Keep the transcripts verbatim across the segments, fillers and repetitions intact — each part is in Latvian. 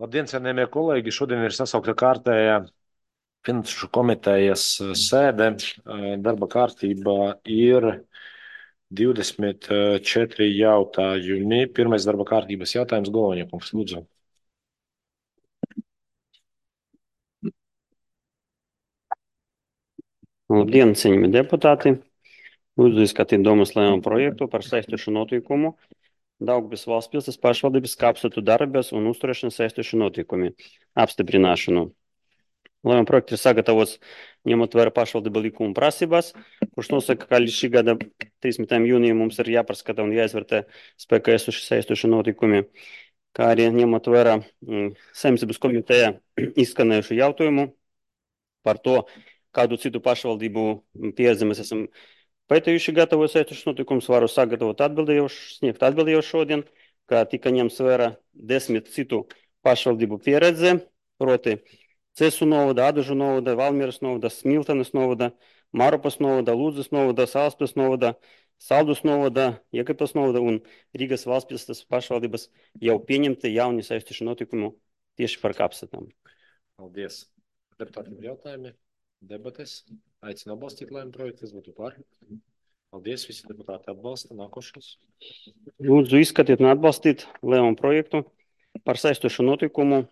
Labdien, cienījamie kolēģi! Šodien ir sasaukta kārtējā Finanšu komitejas sēde. Darba kārtībā ir divdesmit četri jautājumi. Pirmais darba kārtības jautājums, Goloņa kungs, lūdzu. Labdien, cienījamie deputāti! Lūdzu izskatīt domas lēmumu projektu par saistošu notikumu Daugavpils valsts pilsētas pašvaldības kapsētu darbības un uzturēšanas saistošu notikumu apstiprināšanu. Lēmuma projekts ir sagatavots ņemot vērā pašvaldību likuma prasības, kurš nosaka, ka līdz šī gada trīsdesmitajam jūnijam mums ir jāpaskata un jāizvērtē spēkā esoši saistoši notikumi, kā arī ņemot vērā mm, Saimniecības komitejā izskanējušu jautājumu par to, kādu citu pašvaldību pieredzi mēs esam pētījuši gatavos saistošus notikumus, varu sagatavot atbildējuši, sniegt atbildējuši šodien, kā tika ņemts vērā desmit citu pašvaldību pieredze, proti Cesu novada, Adažu novada, Valmieras novada, Smiltenes novada, Mārupas novada, Lūdzes novada, Salaspils novada, Saldus novada, Jēkabpils novada un Rīgas valstspilsētas pašvaldības jau pieņemti jauni saistoši notikumi tieši par kapsētām. Paldies. Deputātiem ir jautājumi, debates. Aicinu atbalstīt lēmumu projektu, kas būtu par. Paldies, visi deputāti atbalsta. Nākošais. Lūdzu izskatīt un atbalstīt lēmumu projektu par saistošu notikumu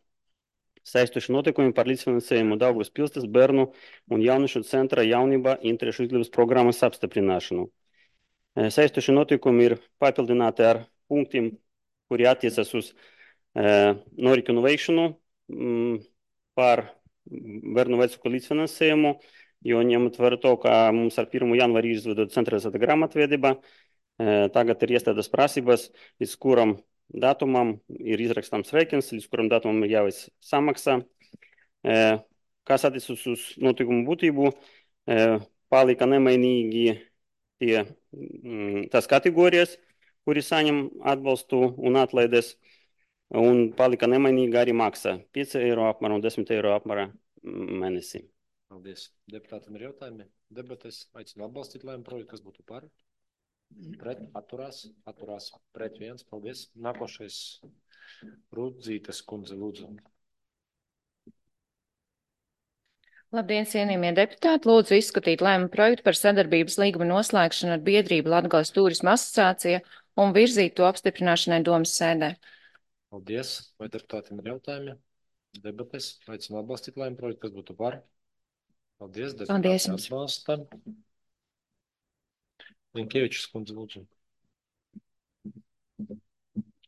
Saistoši notikumi par līdzfinansējumu Daugavas pilsētas bērnu un jauniešu centra jaunība interešu izglītības programmas apstiprināšanu. Saistoši notikumi ir papildināti ar punktiem, kuri attiecas uz uh, norikinu veikšanu mm, par bērnu vecuku līdzfinansējumu, jo ņemot vērā to, ka mums ar pirmo janvāri izvedot centralizēta grāmatvedība, uh, tagad ir iestādes prasības, līdz kuram datumam ir izrakstāms rēķins, līdz kuram datumam ir jāveic samaksa. Kas attiecas uz notikumu būtību, palika nemainīgi tie, tās kategorijas, kuri saņem atbalstu un atlaides, un palika nemainīgi arī maksa pieci eiro apmērā un desmit eiro apmērā mēnesī. Paldies. Deputātam ir jautājumi, debates. Aicinu atbalstīt lēmumu projektu, kas būtu par. Pret, atturās, atturās, pret viens, paldies. Nākošais Rudzītes kundze, lūdzu. Labdien, cienījamie deputāti! Lūdzu izskatīt lēmumu projektu par sadarbības līguma noslēgšanu ar biedrību Latgales Tūrisma asociācija un virzīt to apstiprināšanai domas sēdē. Paldies. Vai deputātiem ir jautājumi? Debates. Aicinu atbalstīt lēmumu projektu, kas būtu par. Paldies. Paldies Deputāti jums. atbalsta. Linkievičs kundze, lūdzu.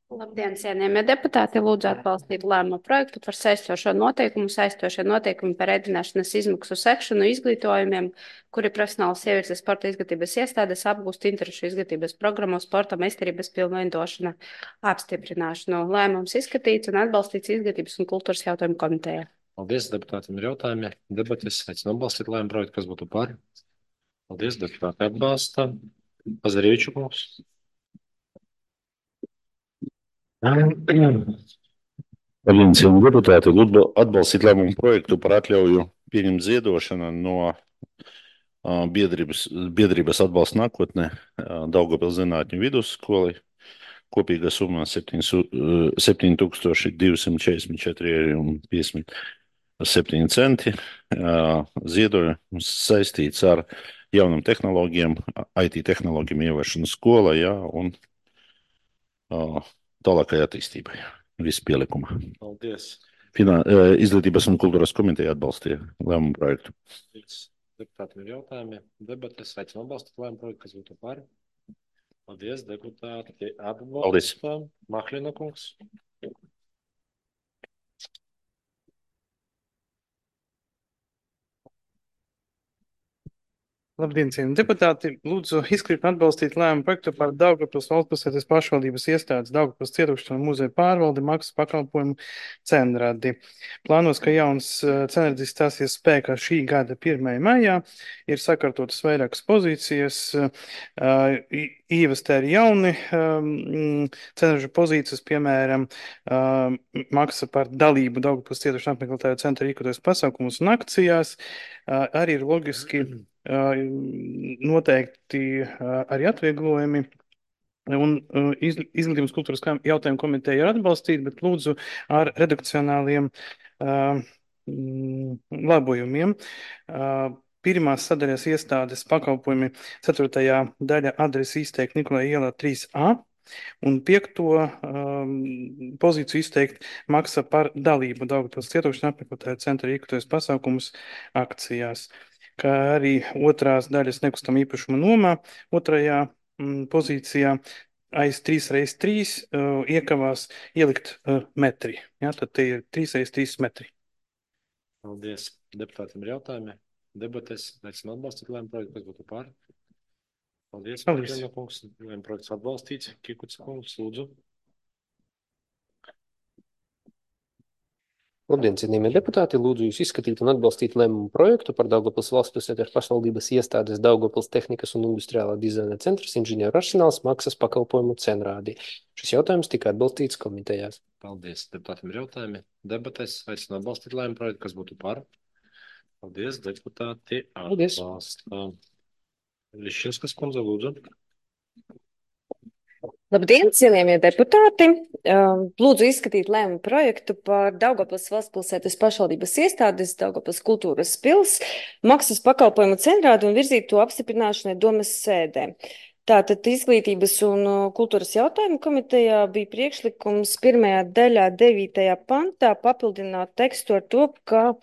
Labdien, cienījamie deputāti! Lūdzu atbalstīt lēmumu projektu par saistošo noteikumu, saistošie noteikumi par ēdināšanas izmaksu sekšanu izglītojumiem, kuri profesionālas sievietes sporta izglītības iestādes apgūst interešu izglītības programmu sporta meistarības pilnveidošana apstiprināšanu. Lēmums izskatīts un atbalstīts izglītības un kultūras jautājumu komitejā. Paldies, deputātiem ir jautājumi. Debates. Aicinu atbalstīt lēmumu projektu, kas būtu par. Paldies, deputāti atbalsta. Pazarīču kungs. Labdien, cienījamie deputāti! Lūdzu atbalstīt lēmumu projektu par atļauju pieņemt ziedošanu no uh, biedrības, biedrības atbalsta nākotne uh, Daugavpils zinātņu vidusskolai. Kopīgā summa septiņi tūkstoši divsimt četrdesmit četri eiro un piecdesmit septiņi centi. Uh, ziedojums saistīts ar jaunam tehnoloģiem, I T tehnoloģiem ieviešanu skolā, jā, un uh, tālākai attīstībai. Visi pielikuma. Paldies. Finā, izglītības un kultūras komiteja atbalstīja lēmumu projektu. Deputātiem ir jautājumi, debates. Aicinu atbalstīt lēmumu projektu, kas būtu par. Paldies, deputāti atbalsta. Mahlina kungs. Labdien, cienījamie deputāti! Lūdzu izskatīt un atbalstīt lēmumu projektu par Daugavpils valstspilsētas pašvaldības iestādes Daugavpils cietušanu muzeja pārvaldi maksas pakalpojumu cenradi. Plānos, ka jauns cenradis stāsies spēkā šī gada pirmajā maijā, ir sakārtotas vairākas pozīcijas, ievestē arī jauni cenražu pozīcijas, piemēram, maksa par dalību Daugavpils cietušanu apmeklētāju centra rīkoties pasākumus un akcijās, arī ir loģiski noteikti arī atvieglojumi un uh, iz, izglītības kultūras kam- jautājumu komiteja ir atbalstīta, bet lūdzu ar redakcionāliem uh, mm, labojumiem. Uh, Pirmās sadaļas iestādes pakalpojumi ceturtajā daļa adresi izteikt Nikolai ielā trīs A. Un piekto um, pozīciju izteikt maksa par dalību Daugavpils cietokšņa apmeklētāju centra rīkoties pasākumus akcijās, kā arī otrās daļas nekustam īpašuma nomā, otrajā mm, pozīcijā aiz trīs reiz trīs uh, iekavās ielikt uh, metri. Ja, tad tie ir trīs reiz trīs metri. Paldies. Deputātiem ir jautājumi. Debates. Aicinu atbalstīt lēmumu projektu, kas būtu par. Paldies. Paldies. Paldies. Kungs. Lēmumu projekts atbalstīts. Kikuts kungs, lūdzu. Labdien, cienījamie deputāti! Lūdzu jūs izskatīt un atbalstīt lēmumu projektu par Daugavpils valsts pilsētas pašvaldības iestādes Daugavpils tehnikas un industriālā dizaina centrs inženieru arsenāls maksas pakalpojumu cenrādi. Šis jautājums tika atbalstīts komitejās. Paldies. Deputātiem ir jautājumi. Debates. Aicinu atbalstīt lēmumu projektu, kas būtu par. Paldies. Deputāti Paldies. atbalsta. Lišķinskas kundze, lūdzu. Labdien, cienījamie deputāti! Um, Lūdzu izskatīt lēmumu projektu par Daugavpils valsts pilsētas pašvaldības iestādes Daugavpils kultūras pils maksas pakalpojumu cenrādi un virzīt to apstiprināšanai domas sēdē. Tātad izglītības un uh, kultūras jautājumu komitejā bija priekšlikums pirmajā daļā devītajā pantā papildināt tekstu ar to, ka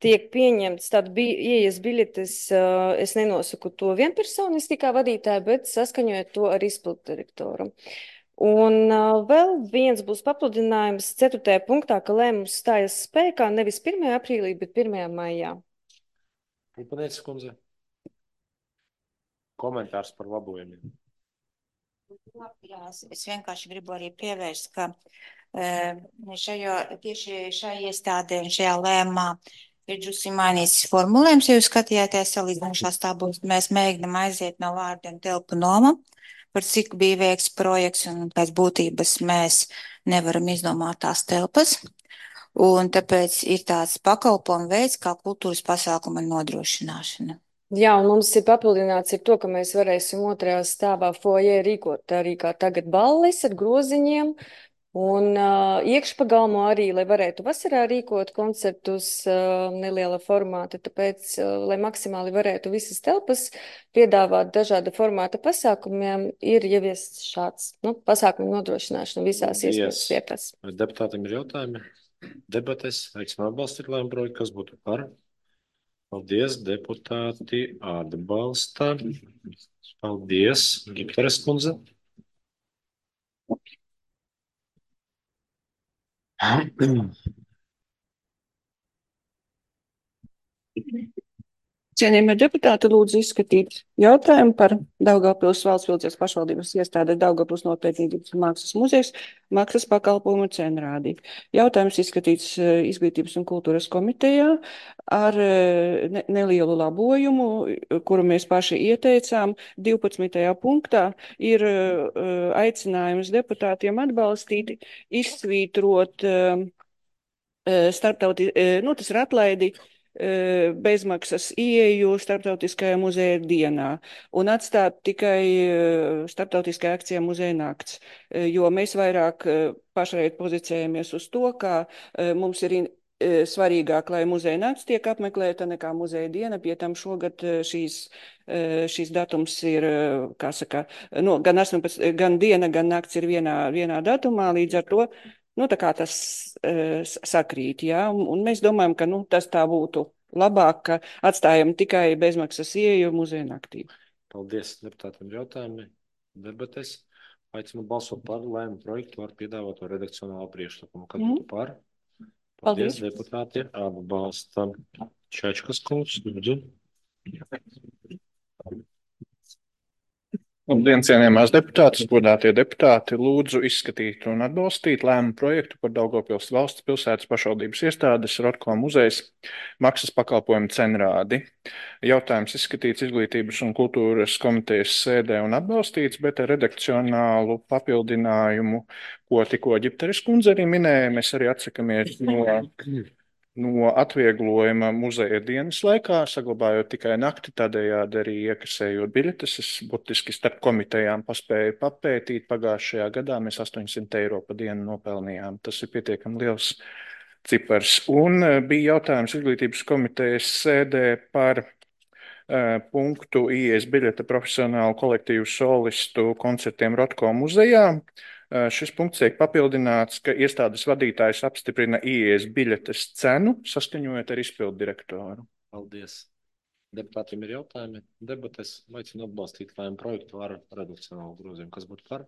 tiek pieņemts tāda bi ieejas biļetes, uh, es nenosaku to vienpersoniski kā vadītāju, bet saskaņojot to ar izpildu direktoru. Un uh, vēl viens būs papildinājums ceturtajā punktā, ka lēmums stājas spēkā nevis pirmajā aprīlī, bet pirmajā maijā. Upanēcis kundze. Komentārs par labojumiem. Jā, es, es vienkārši gribu arī pievērst, ka uh, šajo, tieši šai iestādē un šajā lēmumā ir drusi mainīts formulējums, ja jūs skatījāties salīdzinošās tabulas, mēs mēģinām aiziet no vārdiem telpu noma, par cik bija veikts projekts un pēc būtības mēs nevaram izdomāt tās telpas. Un tāpēc ir tāds pakalpojumu veids kā kultūras pasākuma nodrošināšana. Jā, un mums ir papildināts ar to, ka mēs varēsim otrajā stāvā foajē rīkot arī kā tagad balles ar groziņiem. Un uh, iekšpagalmo arī, lai varētu vasarā rīkot koncertus uh, neliela formāta, tāpēc, uh, lai maksimāli varētu visas telpas piedāvāt dažāda formāta pasākumiem, ir ieviests šāds nu, pasākumu nodrošināšana visās iespējas vietās. Deputātiem ir jautājumi. Debates. Aicinu atbalstīt lēmumu projektu, kas būtu par. Paldies, deputāti atbalsta. Paldies, Gipteres kundze. Cienījamie deputāti, lūdzu izskatīt jautājumu par Daugavpils valsts pilsētas pašvaldības iestādes Daugavpils nopietnības un mākslas muzejs maksas pakalpojumu cenrādi. Jautājums izskatīts izglītības un kultūras komitejā ar ne, nelielu labojumu, kuru mēs paši ieteicām. divpadsmitajā punktā ir aicinājums deputātiem atbalstīt, izsvītrot starptauti, nu tas ir atlaidi, bezmaksas ieeju starptautiskajā muzeja dienā un atstāt tikai starptautiskajā akcijā muzeja nakts, jo mēs vairāk pašreiz pozicējamies uz to, ka mums ir svarīgāk, lai muzeja nakts tiek apmeklēta nekā muzeja diena, pie tam šogad šīs, šīs datums ir, kā saka, no, gan, astoņpadsmit, gan diena, gan nakts ir vienā, vienā datumā, līdz ar to nu, tā kā tas uh, sakrīt, jā, un, un mēs domājam, ka nu, tas tā būtu labāk, ka atstājam tikai bezmaksas ieeju muzeja naktī. Paldies, deputātiem jautājumi. Debates. Aicinu balsot par lēmumu projektu ar piedāvāto redakcionālo priekšlikumu. Kad būtu par? Paldies, Paldies. Deputāti atbalsta. Čačkas kungs, lūdzu. Labdien, cienījamās deputātes, godātie deputāti, lūdzu izskatīt un atbalstīt lēmumu projektu par Daugavpils valsts pilsētas pašvaldības iestādes Rotko muzejs maksas pakalpojumu cenrādi. Jautājums izskatīts izglītības un kultūras komitejas sēdē un atbalstīts, bet ar redakcionālu papildinājumu, ko tikko Ģipteres kundze arī minēja, mēs arī atsakamies no no atvieglojuma muzeja dienas laikā, saglabājot tikai nakti, tādējādi arī iekasējot biļetes. Es būtiski starp komitejām paspēju papētīt. Pagājušajā gadā mēs astoņsimt eiro pa dienu nopelnījām. Tas ir pietiekami liels cipars. Un bija jautājums izglītības komitejas sēdē par uh, punktu ieejas biļete profesionālu kolektīvu solistu koncertiem Rotko muzejā. Uh, šis punkts tiek papildināts, ka iestādes vadītājs apstiprina ieejas biļetes cenu, saskaņojot ar izpildu direktoru. Paldies. Deputātiem ir jautājumi. Debates aicinu atbalstīt lēmumu projektu ar redakcionālu grozījumu. Kas būtu par?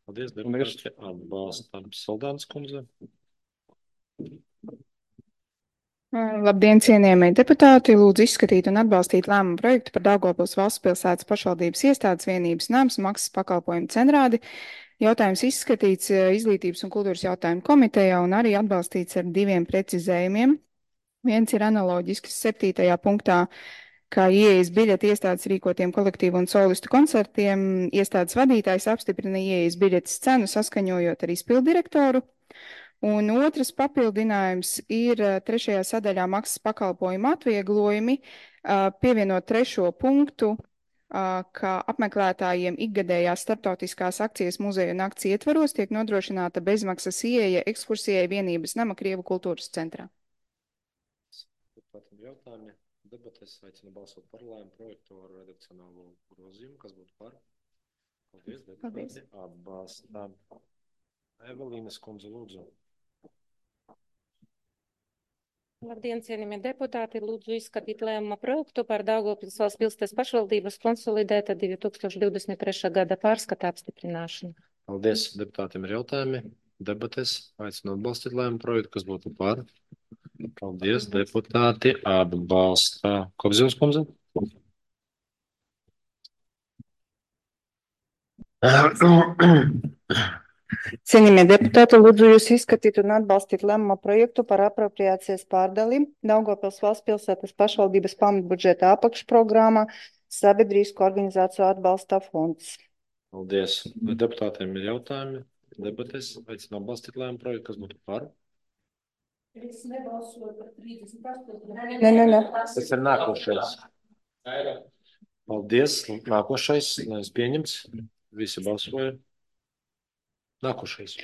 Paldies, deputāti. Atbalstam Saldānas kundze. Labdien, cienījamie deputāti! Lūdzu izskatīt un atbalstīt lēmumu projektu par Daugavpils valsts pilsētas pašvaldības iestādes vienības nams maksas pakalpojumu centrādi. Jautājums izskatīts Izglītības un kultūras jautājumu komitejā un arī atbalstīts ar diviem precizējumiem. Viens ir analoģisks septītajā punktā, kā ieejas biļeti iestādes rīkotiem kolektīvu un solistu koncertiem. Iestādes vadītājs apstiprina ieejas biļetes cenu saskaņojot ar izpildu direktoru. Un otrs papildinājums ir trešajā sadaļā maksas pakalpojumu atvieglojumi, pievienot trešo punktu, ka apmeklētājiem ikgadējās starptautiskās akcijas muzeja nakts ietvaros tiek nodrošināta bezmaksas ieeja ekskursijai vienības nama Krievu kultūras centrā. Jautājumi. Debates aicinu balsot par lēmumu projektu ar redakcionālo grozījumu. Kas būtu par? Paldies, deputāti. Atbalstam. Evelīnas kundze, lūdzu. Labdien, cienījamie deputāti! Lūdzu izskatīt lēmuma projektu par Daugavpils valsts pilsētas pašvaldības konsolidēta divi tūkstoši divdesmit trešā gada pārskata apstiprināšanu. Paldies, deputātiem ir jautājumi. Debates aicinu atbalstīt lēmumu projektu. Kas būtu par? Paldies, deputāti. Atbalsta. Kopzīmes kundze. Cienījamie deputāti, lūdzu jūs izskatīt un atbalstīt lēmuma projektu par apropriācijas pārdali Daugavpils valsts pilsētas pašvaldības pamatbudžeta apakšprogrammā Sabiedrisko organizāciju atbalsta fonds. Paldies. Deputātiem ir jautājumi. Debates aicinu atbalstīt lēmumu projektu. Kas būtu par? Es nebalsoju par trīsdesmit astoņu. Nē, nē, nē. Tas ir nākošais. Paldies. Nākošais. Lēmums pieņemts. Visi balsoja. Nākošais.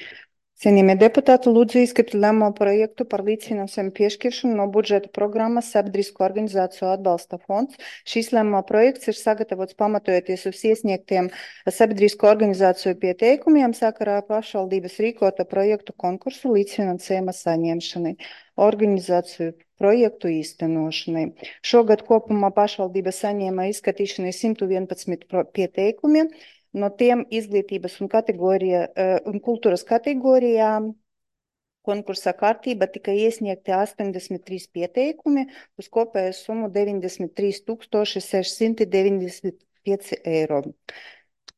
Cienījamie deputāti, lūdzu izskatīt lēmuma projektu par līdzfinansējumu piešķiršanu no budžeta programmas Sabiedrisko organizāciju atbalsta fonds. Šīs lēmuma projekts ir sagatavots pamatojoties uz iesniegtiem sabiedrisko organizāciju pieteikumiem sakarā pašvaldības rīkota projektu konkursu līdzfinansējuma saņemšanai, organizāciju projektu īstenošanai. Šogad kopumā pašvaldība saņēma izskatīšanai simt vienpadsmit pieteikumiem. No tiem izglītības un, un kultūras kategorijām konkursa kārtība tika iesniegti astoņdesmit trīs pieteikumi uz kopēju summu deviņdesmit trīs tūkstoši sešsimt deviņdesmit pieci eiro.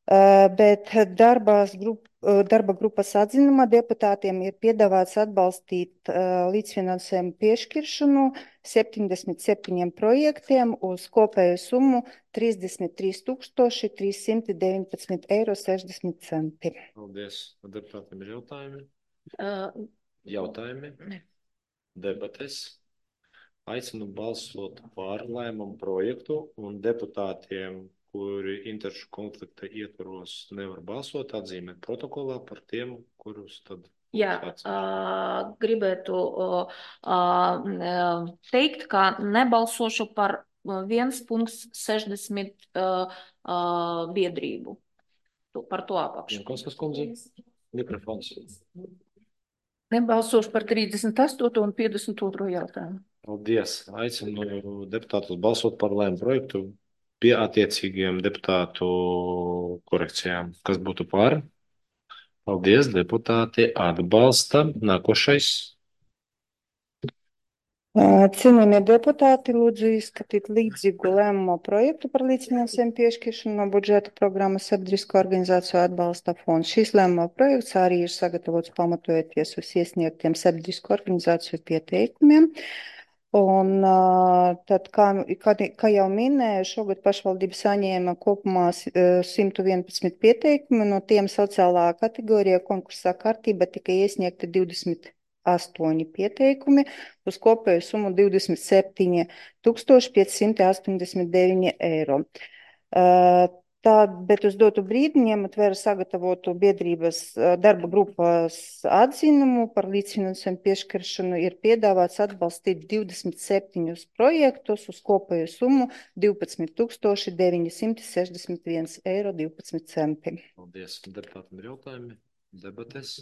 Bet darbās grup, darba grupas atzinumā deputātiem ir piedāvāts atbalstīt līdzfinansējumu piešķiršanu septiņdesmit septiņiem projektiem uz kopēju summu trīsdesmit trīs tūkstoši trīssimt deviņpadsmit eiro sešdesmit centi. Paldies. Deputātiem ir jautājumi? Uh, jautājumi? Ne. Debates. Aicinu balsot par lēmumu projektu un deputātiem, kuri interešu konflikta ietvaros nevar balsot, atzīmēt protokolā par tiem, kurus tad... Jā, uh, gribētu uh, uh, teikt, ka nebalsošu par viens punkts sešdesmit uh, uh, biedrību. Tu, par to apakšu. Jankoskas kundze, mikrofons. Nebalsošu par trīsdesmit astoto un piecdesmit otro jautājumu. Paldies. Aicinu deputātus balsot par lēmumu projektu pie attiecīgiem deputātu korekcijām. Kas būtu par? Paldies, deputāti atbalsta. Nākošais. Cienījamie deputāti, lūdzu izskatīt līdzīgu lēmumu projektu par līdzfinansējumu piešķiršanu no budžeta programmas Sabiedrisko organizāciju atbalsta fonds. Šīs lēmuma projekts arī ir sagatavots pamatojoties uz iesniegtiem Sabiedrisko organizāciju pieteikumiem. Un tad, kā, kā, kā jau minēju, šogad pašvaldība saņēma kopumā simt vienpadsmit pieteikumu, no tiem sociālā kategorijā konkursā kārtība tika iesniegta divdesmit astoņi pieteikumi uz kopēju summu divdesmit septiņi tūkstoši piecsimt astoņdesmit deviņi eiro. Tā, bet uz dotu brīdi ņemat vērā sagatavotu biedrības darba grupas atzinumu par līdzfinansējumu piešķiršanu ir piedāvāts atbalstīt divdesmit septiņus projektus uz kopēju summu divpadsmit tūkstoši deviņsimt sešdesmit viens eiro divpadsmit centi. Paldies. Deputātam ir jautājumi, debates.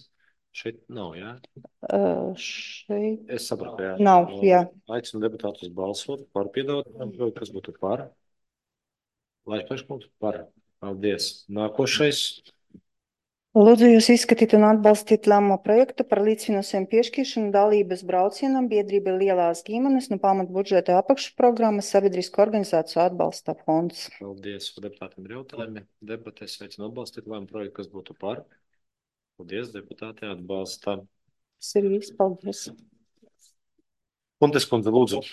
Šeit nav, jā? Uh, šeit Es sapratu, jā. nav, jā. Aicinu deputātus balsot par piedāvājumu, kas būtu par. Lai priekšlikums par. Paldies. Nākošais. Lūdzu jūs izskatīt un atbalstīt lēmumu projektu par līdzfinansējumu piešķiršanu dalības braucienam biedrība Lielās ģimenes no pamatbudžeta apakšprogrammas sabiedrisko organizāciju atbalsta fonds. Paldies. Deputātiem ir jautājumi. Debates aicinu atbalstīt lēmumu projektu, kas būtu par. Paldies, deputāti atbalsta. Tas ir viss, paldies. Kuntes kundze, lūdzu.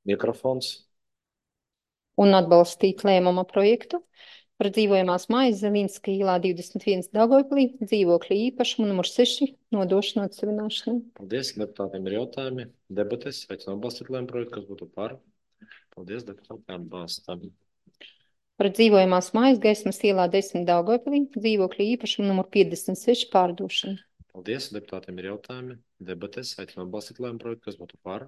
Mikrofons. Un atbalstīt lēmuma projektu par dzīvojamās mājas Zelīnska ielā divdesmit viens Daugavpilī, dzīvokļa īpašumu numur seši, nodošanu atsevināšanai. Paldies, deputātiem ir jautājumi. Debates aicinu atbalstīt lēmumu projektu, kas būtu par. Paldies, deputāti atbalsta. Par dzīvojamās mājas Gaismas ielā desmit Daugavpilī, dzīvokļa īpašumu numur piecdesmit seši pārdošanu. Paldies, deputātiem ir jautājumi. Debates aicinu atbalstīt lēmumu projektu, kas būtu par.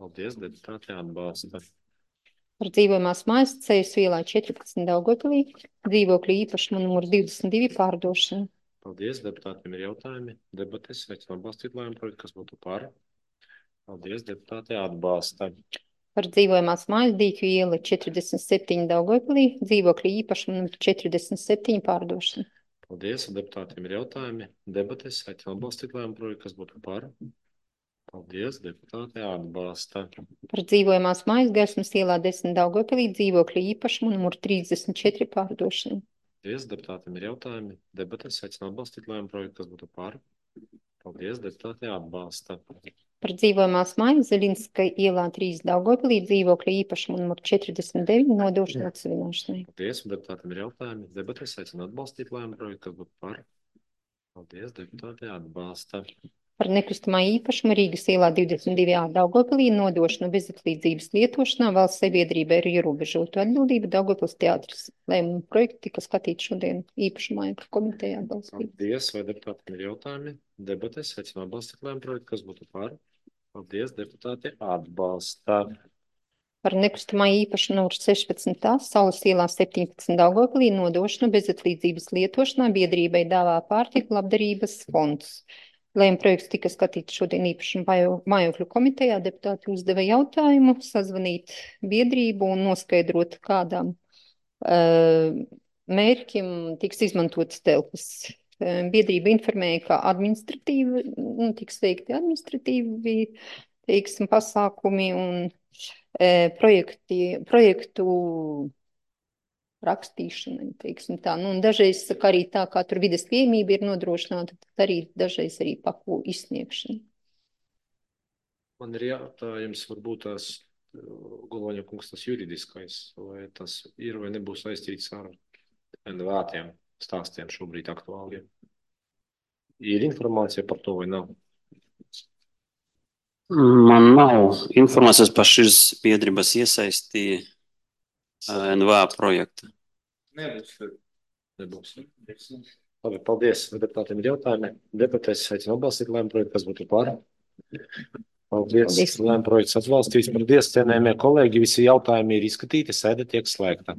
Paldies, deputāti atbalsta. Par dzīvojamās mājas Ceļas ielā četrpadsmit Daugavpilī, dzīvokļa īpašumu numur divdesmit divi pārdošanu. Paldies, deputātiem ir jautājumi. Debates aicinu atbalstīt lēmumu projektu, kas būtu par. Paldies, deputāti atbalsta. Par dzīvojamās mājas Dīķu iela četrdesmit septiņi Daugavpilī, dzīvokļa īpašumu numur četrdesmit septiņi pārdošanu. Paldies, deputātiem ir jautājumi. Debates aicinu atbalstīt lēmumu projektu, kas būtu par. Paldies, deputāti atbalsta. Par dzīvojamās mājas Gaismas ielā desmit Daugavpilī, dzīvokļa īpašumu numur trīsdesmit četri pārdošanu. Paldies, deputātiem ir jautājumi. Debates aicinu atbalstīt lēmumu projektu, kas būtu par. Paldies, deputāti atbalsta. Par dzīvojamās mājas Zelīnska ielā trīs Daugavpilī, dzīvokļa īpašumu numur četrdesmit deviņi, nodošanu atsevināšanai. Paldies, deputātiem ir jautājumi. Debates aicinu atbalstīt lēmumu projektu, kas būtu par. Paldies, deputāti atbalsta. Par nekustamā īpašumu Rīgas ielā divdesmit divi A Daugavpilī, nodošanu bezatlīdzības lietošanā valsts sabiedrībai ir ierobežota atbildība Daugavpils teātris. Lēmumu projektu tika skatīt šodien īpašumā komitejā atbalstīt. Paldies, vai deputātiem ir jautājumi? Debates aicinu atbalstīt lēmumu projektu, kas būtu par. Paldies, deputāti atbalsta. Par nekustamā īpašumu numur sešpadsmit A Saules ielā septiņpadsmit Daugavpilī, nodošanu bezatlīdzības lietošanā biedrībai dāvā pārtiku labdarības fonds. Lēmuma projekts tika skatīts šodien īpašuma mājokļu komitejā. Deputāti uzdeva jautājumu, sazvanīt biedrību un noskaidrot, kādām uh, mērķim tiks izmantotas telpas. Uh, biedrība informēja, ka administratīvi, nu, tiks veikti administratīvi, teiksim, pasākumi un uh, projekti, projektu rakstīšanai, teiksim tā. Nu, un dažreiz saka arī tā, kā tur vides pieejamība ir nodrošināta, tad arī dažreiz arī paku izsniegšana. Man ir jautājums, varbūt tās Goloņa kungs tas juridiskais, vai tas ir vai nebūs saistīts ar N V A-tiem stāstiem šobrīd aktuāliem. Ir informācija par to vai nav? Man nav informācijas par šīs biedrības iesaisti N V A projekta. Nebūs. Nebūs. Labi, paldies. Deputātiem ir jautājumi. Debatēs aicinu atbalstīt lēmumu projektu, kas būtu par. Paldies. Paldies. Lēmumu projekts atbalstīts. Paldies, cienējamie kolēģi. Visi jautājumi ir izskatīti. Sēde tiek slēgta.